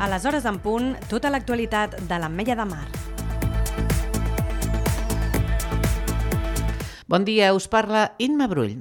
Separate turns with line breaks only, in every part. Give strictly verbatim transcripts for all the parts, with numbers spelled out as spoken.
A les hores en punt, tota l'actualitat de l'Ametlla de Mar.
Bon dia, us parla Imma Brull.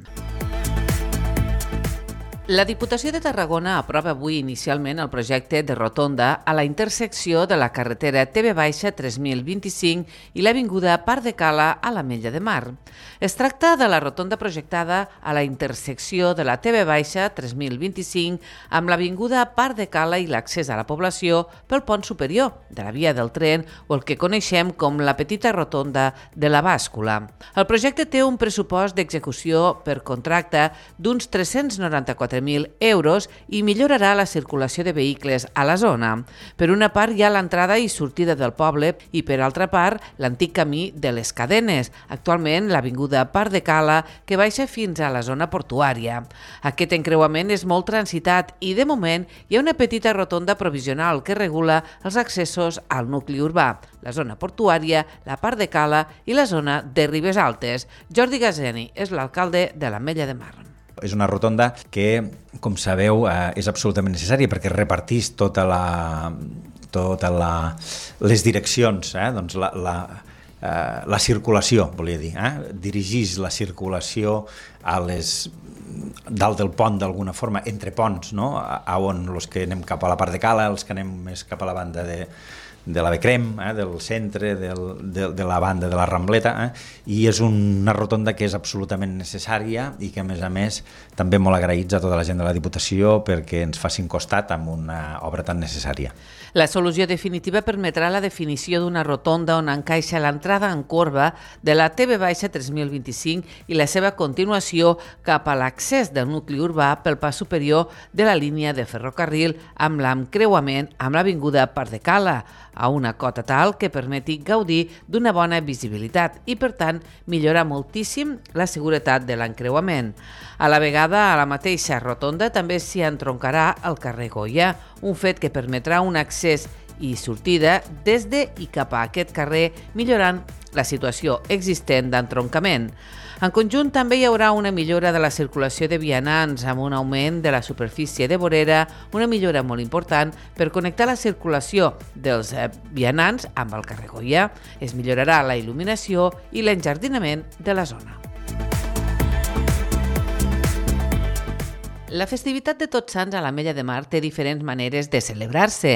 La Diputació de Tarragona aprova avui inicialment el projecte de rotonda a la intersecció de la carretera T V tres mil vint-i-cinc i l'avinguda Parc de Cala a l'Ametlla de Mar. Es tracta de la rotonda projectada a la intersecció de la T V tres mil vint-i-cinc amb l'avinguda Parc de Cala i l'accés a la població pel pont superior de la via del tren o el que coneixem com la petita rotonda de la bàscula. El projecte té un pressupost d'execució per contracte d'uns tres-cents noranta-quatre mil euros i millorarà la circulació de vehicles a la zona. Per una part hi ha l'entrada i sortida del poble i per altra part l'antic camí de les Cadenes, actualment l'avinguda Parc de Cala que baixa fins a la zona portuària. Aquest encreuament és molt transitat i de moment hi ha una petita rotonda provisional que regula els accessos al nucli urbà, la zona portuària, la Parc de Cala i la zona de Ribes Altes. Jordi Gazeni és l'alcalde de l'Ametlla de Mar.
És una rotonda que, com sabeu, eh, és absolutament necessària perquè repartís tota la, tota la, les direccions, eh, doncs la, la, eh, la circulació, volia dir, eh? dirigís la circulació a les dalt del pont d'alguna forma, entre ponts, no? a, a on els que anem cap a la Parc de Cala, els que anem més cap a la banda de de la Becrem, eh, del centre, del, de, de la banda de la Rambleta, eh, i és una rotonda que és absolutament necessària i que, a més a més, també molt agraïts a tota la gent de la Diputació perquè ens facin costat amb una obra tan necessària.
La solució definitiva permetrà la definició d'una rotonda on encaixa l'entrada en corba de la T V tres mil vint-i-cinc i la seva continuació cap a l'accés del nucli urbà pel pas superior de la línia de ferrocarril amb l'encreuament amb l'avinguda Parc de Cala, a una cota tal que permeti gaudir d'una bona visibilitat i, per tant, millorar moltíssim la seguretat de l'encreuament. A la vegada, a la mateixa rotonda també s'hi entroncarà el carrer Goya, un fet que permetrà un accés i sortida des de i cap a aquest carrer, millorant la situació existent d'entroncament. En conjunt, també hi haurà una millora de la circulació de vianants amb un augment de la superfície de vorera, una millora molt important per connectar la circulació dels vianants amb el carrer Goya. Es millorarà la il·luminació i l'enjardinament de la zona. La festivitat de Tots Sants a l'Ametlla de Mar té diferents maneres de celebrar-se.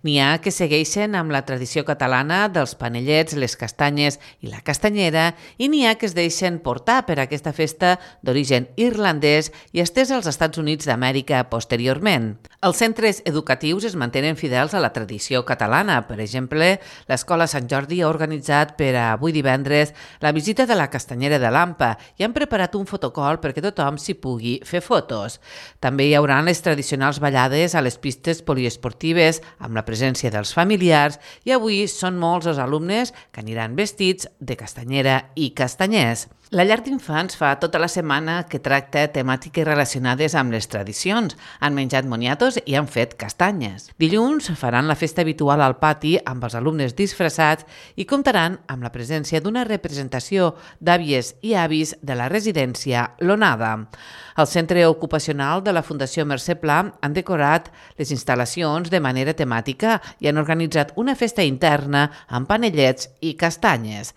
N'hi ha que segueixen amb la tradició catalana dels panellets, les castanyes i la castanyera, i n'hi ha que es deixen portar per aquesta festa d'origen irlandès i estès als Estats Units d'Amèrica posteriorment. Els centres educatius es mantenen fidels a la tradició catalana. Per exemple, l'Escola Sant Jordi ha organitzat per a avui divendres la visita de la castanyera de l'Ampa i han preparat un fotocol perquè tothom s'hi pugui fer fotos. També hi haurà les tradicionals ballades a les pistes poliesportives amb la presència dels familiars i avui són molts els alumnes que aniran vestits de castanyera i castanyers. La llar d'infants fa tota la setmana que tracta temàtiques relacionades amb les tradicions. Han menjat moniatos i han fet castanyes. Dilluns faran la festa habitual al pati amb els alumnes disfressats i comptaran amb la presència d'una representació d'àvies i avis de la residència L'Onada. El Centre Ocupacional de la Fundació Mercè Pla han decorat les instal·lacions de manera temàtica i han organitzat una festa interna amb panellets i castanyes.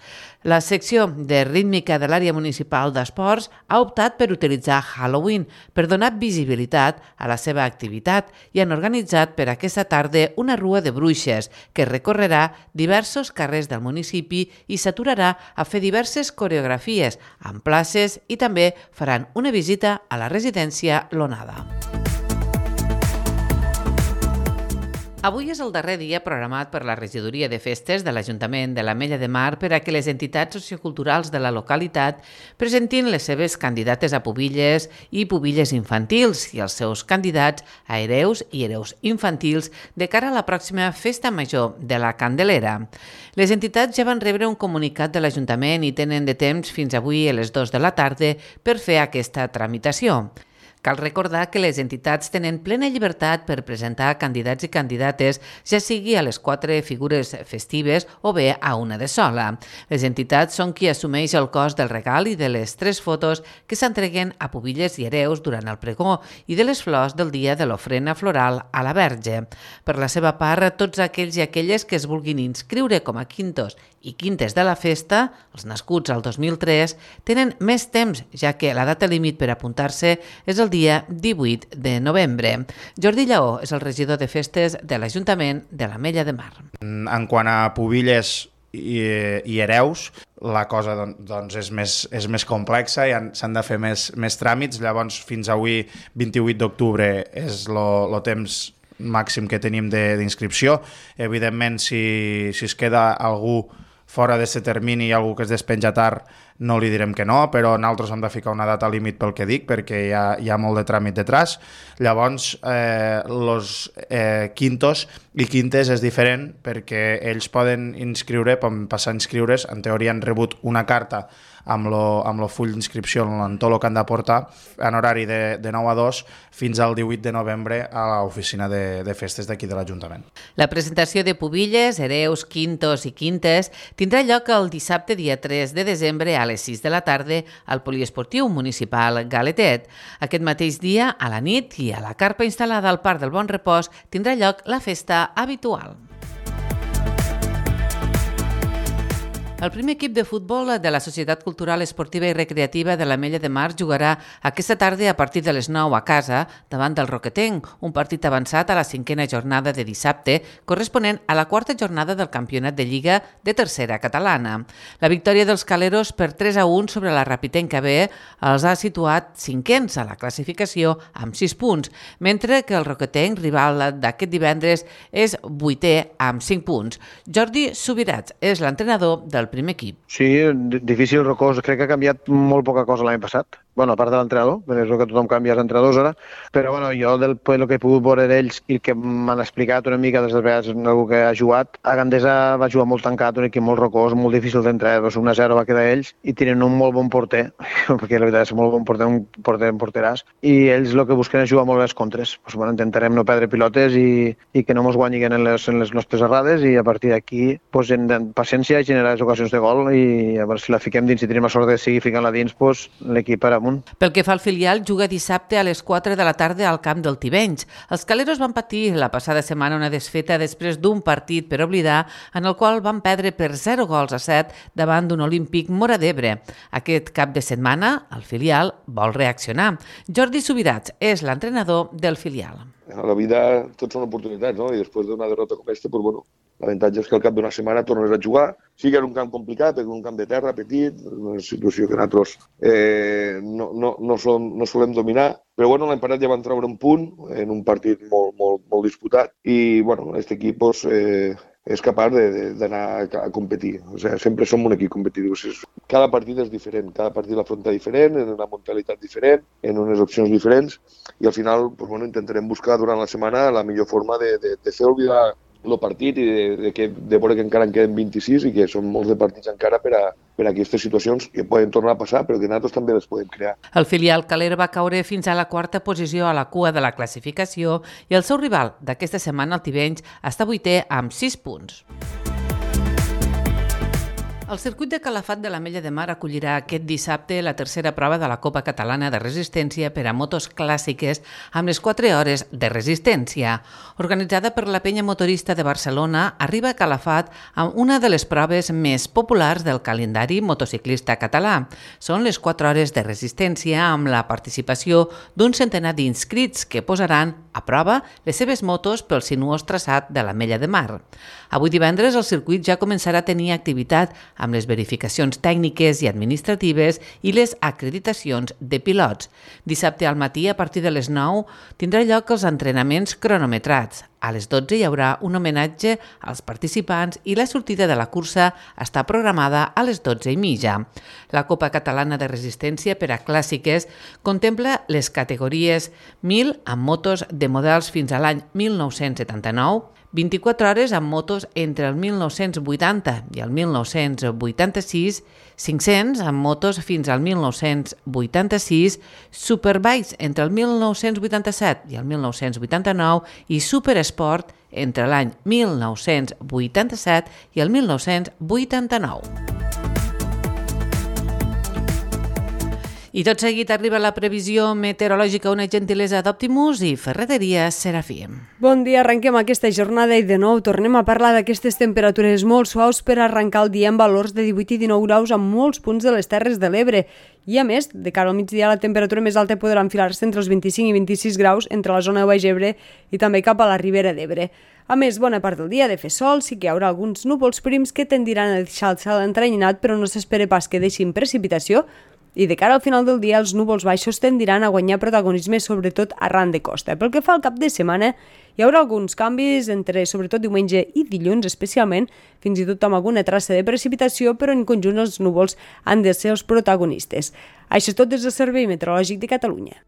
La secció de rítmica de l'àrea municipal d'esports ha optat per utilitzar Halloween per donar visibilitat a la seva activitat i han organitzat per aquesta tarda una rua de bruixes que recorrerà diversos carrers del municipi i s'aturarà a fer diverses coreografies en places i també faran una visita a la residència L'Onada. Avui és el darrer dia programat per la Regidoria de Festes de l'Ajuntament de l'Ametlla de Mar per a que les entitats socioculturals de la localitat presentin les seves candidates a pubilles i pubilles infantils i els seus candidats a hereus i hereus infantils de cara a la pròxima Festa Major de la Candelera. Les entitats ja van rebre un comunicat de l'Ajuntament i tenen de temps fins avui a les dues de la tarda per fer aquesta tramitació. Cal recordar que les entitats tenen plena llibertat per presentar candidats i candidates, ja sigui a les quatre figures festives o bé a una de sola. Les entitats són qui assumeix el cost del regal i de les tres fotos que s'entreguen a Pubilles i Hereus durant el pregó i de les flors del dia de l'ofrena floral a la Verge. Per la seva part, tots aquells i aquelles que es vulguin inscriure com a quintos i quintes de la festa, els nascuts al dos mil tres, tenen més temps, ja que la data límit per apuntar-se és el dia divuit de novembre. Jordi Lleó és el regidor de festes de l'Ajuntament de l'Ametlla de Mar.
En quant a Pubilles i, i Hereus, la cosa doncs, és, més, és més complexa i s'han de fer més, més tràmits. Llavors, fins avui, vint-i-vuit d'octubre, és el temps màxim que tenim d'inscripció. Evidentment, si, si es queda algú fora d'aquest termini i algú que es despenja tard, no li direm que no, però nosaltres hem de ficar una data límit pel que dic, perquè hi ha, hi ha molt de tràmit detrás. Llavors, eh, los eh, quintos i quintes és diferent perquè ells poden inscriure, poden passar a inscriure's, en teoria han rebut una carta amb lo, amb lo full d'inscripció en tot el que han de portar en horari de, de nou a dos fins al divuit de novembre a l'oficina de, de festes d'aquí de l'Ajuntament.
La presentació de Pubilles, Hereus, Quintos i Quintes tindrà lloc el dissabte dia tres de desembre a les sis de la tarda al Poliesportiu Municipal Galetet. Aquest mateix dia, a la nit i a la carpa instal·lada al Parc del Bon Repòs, tindrà lloc la festa habitual. El primer equip de futbol de la Societat Cultural Esportiva i Recreativa de l'Ametlla de Mar jugarà aquesta tarda a partir de les nou a casa davant del Roquetenc, un partit avançat a la cinquena jornada de dissabte, corresponent a la quarta jornada del Campionat de Lliga de Tercera Catalana. La victòria dels caleros per tres a un sobre la Rapitenca B els ha situat cinquens a la classificació amb sis punts, mentre que el Roquetenc, rival d'aquest divendres, és vuitè amb cinc punts. Jordi Subirats és l'entrenador del primer equip.
Sí, difícil, rocós. Crec que ha canviat molt poca cosa l'any passat. Bueno, a part de l'entrenador, perquè és el que tothom canvia els entrenadors ara, però bueno, jo del el que he pogut veure d'ells i el que m'han explicat una mica des de vegades algú que ha jugat, a Gandesa va jugar molt tancat, un equip molt rocós, molt difícil d'entrar, doncs un a zero va quedar ells i tenen un molt bon porter, perquè la veritat és molt bon porter, un porter en porteràs, i ells el que busquen és jugar molt les contres. Pues, bueno, intentarem no perdre pilotes i, i que no ens guanyin en les, en les nostres errades i a partir d'aquí pues, en, en paciència i generar les ocasions de gol i a veure si la fiquem dins, si tenim la sort de seguir ficant-la dins, pues, l'equip per amunt.
Pel que fa al filial, juga dissabte a les quatre de la tarda al camp del Tivenys. Els caleros van patir la passada setmana una desfeta després d'un partit per oblidar en el qual van perdre per zero gols a set davant d'un Olímpic Móra d'Ebre. Aquest cap de setmana, el filial vol reaccionar. Jordi Subirats és l'entrenador del filial.
A la vida tot són oportunitats, no? I després d'una derrota com aquesta, pues, bueno, l'avantatge és que al cap d'una setmana tornes a jugar. Sí que era un camp complicat, perquè un camp de terra petit, una situació que nosaltres eh, no, no, no, som, no solem dominar, però bueno, l'any passat ja van treure un punt en un partit molt, molt, molt disputat i bueno, aquest equip pues, eh, és capaç d'anar a competir. O sigui, sempre som un equip competitiu. O sigui, cada partit és diferent, cada partit l'afronta diferent, en una mentalitat diferent, en unes opcions diferents, i al final pues, bueno, intentarem buscar durant la setmana la millor forma de, de, de fer oblidar el partit i de, de, que, de veure que encara en queden vint-i-sis i que són molts de partits encara per a, per a aquestes situacions que poden tornar a passar, però que nosaltres també les podem crear.
El filial caler va caure fins a la quarta posició a la cua de la classificació i el seu rival d'aquesta setmana, el Tivenys, està vuitè amb sis punts. El circuit de Calafat de l'Ametlla de Mar acollirà aquest dissabte la tercera prova de la Copa Catalana de Resistència per a motos clàssiques amb les quatre hores de resistència. Organitzada per la Penya Motorista de Barcelona, arriba a Calafat amb una de les proves més populars del calendari motociclista català. Són les quatre hores de resistència amb la participació d'un centenar d'inscrits que posaran a prova les seves motos pel sinuós traçat de l'Ametlla de Mar. Avui divendres el circuit ja començarà a tenir activitat amb les verificacions tècniques i administratives i les acreditacions de pilots. Dissabte al matí, a partir de les nou, tindrà lloc els entrenaments cronometrats. A les dotze hi haurà un homenatge als participants i la sortida de la cursa està programada a les dotze i mitja. La Copa Catalana de Resistència per a clàssiques contempla les categories mil amb motos de models fins a l'any mil nou-cents setanta-nou, vint-i-quatre hores amb motos entre el mil nou-cents vuitanta i el mil nou-cents vuitanta-sis, cinc-cents amb motos fins al mil nou-cents vuitanta-sis, Superbikes entre el mil nou-cents vuitanta-set i el mil nou-cents vuitanta-nou i Supersport entre l'any mil nou-cents vuitanta-set i el mil nou-cents vuitanta-nou. I tot seguit arriba la previsió meteorològica, una gentilesa d'Optimus i Ferreteria Serafim.
Bon dia, arrenquem aquesta jornada i de nou tornem a parlar d'aquestes temperatures molt suaus per arrencar el dia amb valors de divuit i dinou graus en molts punts de les Terres de l'Ebre. I a més, de cara al migdia, la temperatura més alta podrà enfilar-se entre els vint-i-cinc i vint-i-sis graus entre la zona de Baix Ebre i també cap a la Ribera d'Ebre. A més, bona part del dia ha de fer sol, sí que hi haurà alguns núvols prims que tendiran a deixar el cel entrenyinat, però no s'espera pas que deixin precipitació, i de cara al final del dia els núvols baixos tendiran a guanyar protagonisme sobretot arran de costa. Pel que fa al cap de setmana, hi haurà alguns canvis entre sobretot diumenge i dilluns especialment, fins i tot amb alguna traça de precipitació, però en conjunt els núvols han de ser els protagonistes. Això és tot des del Servei Meteorològic de Catalunya.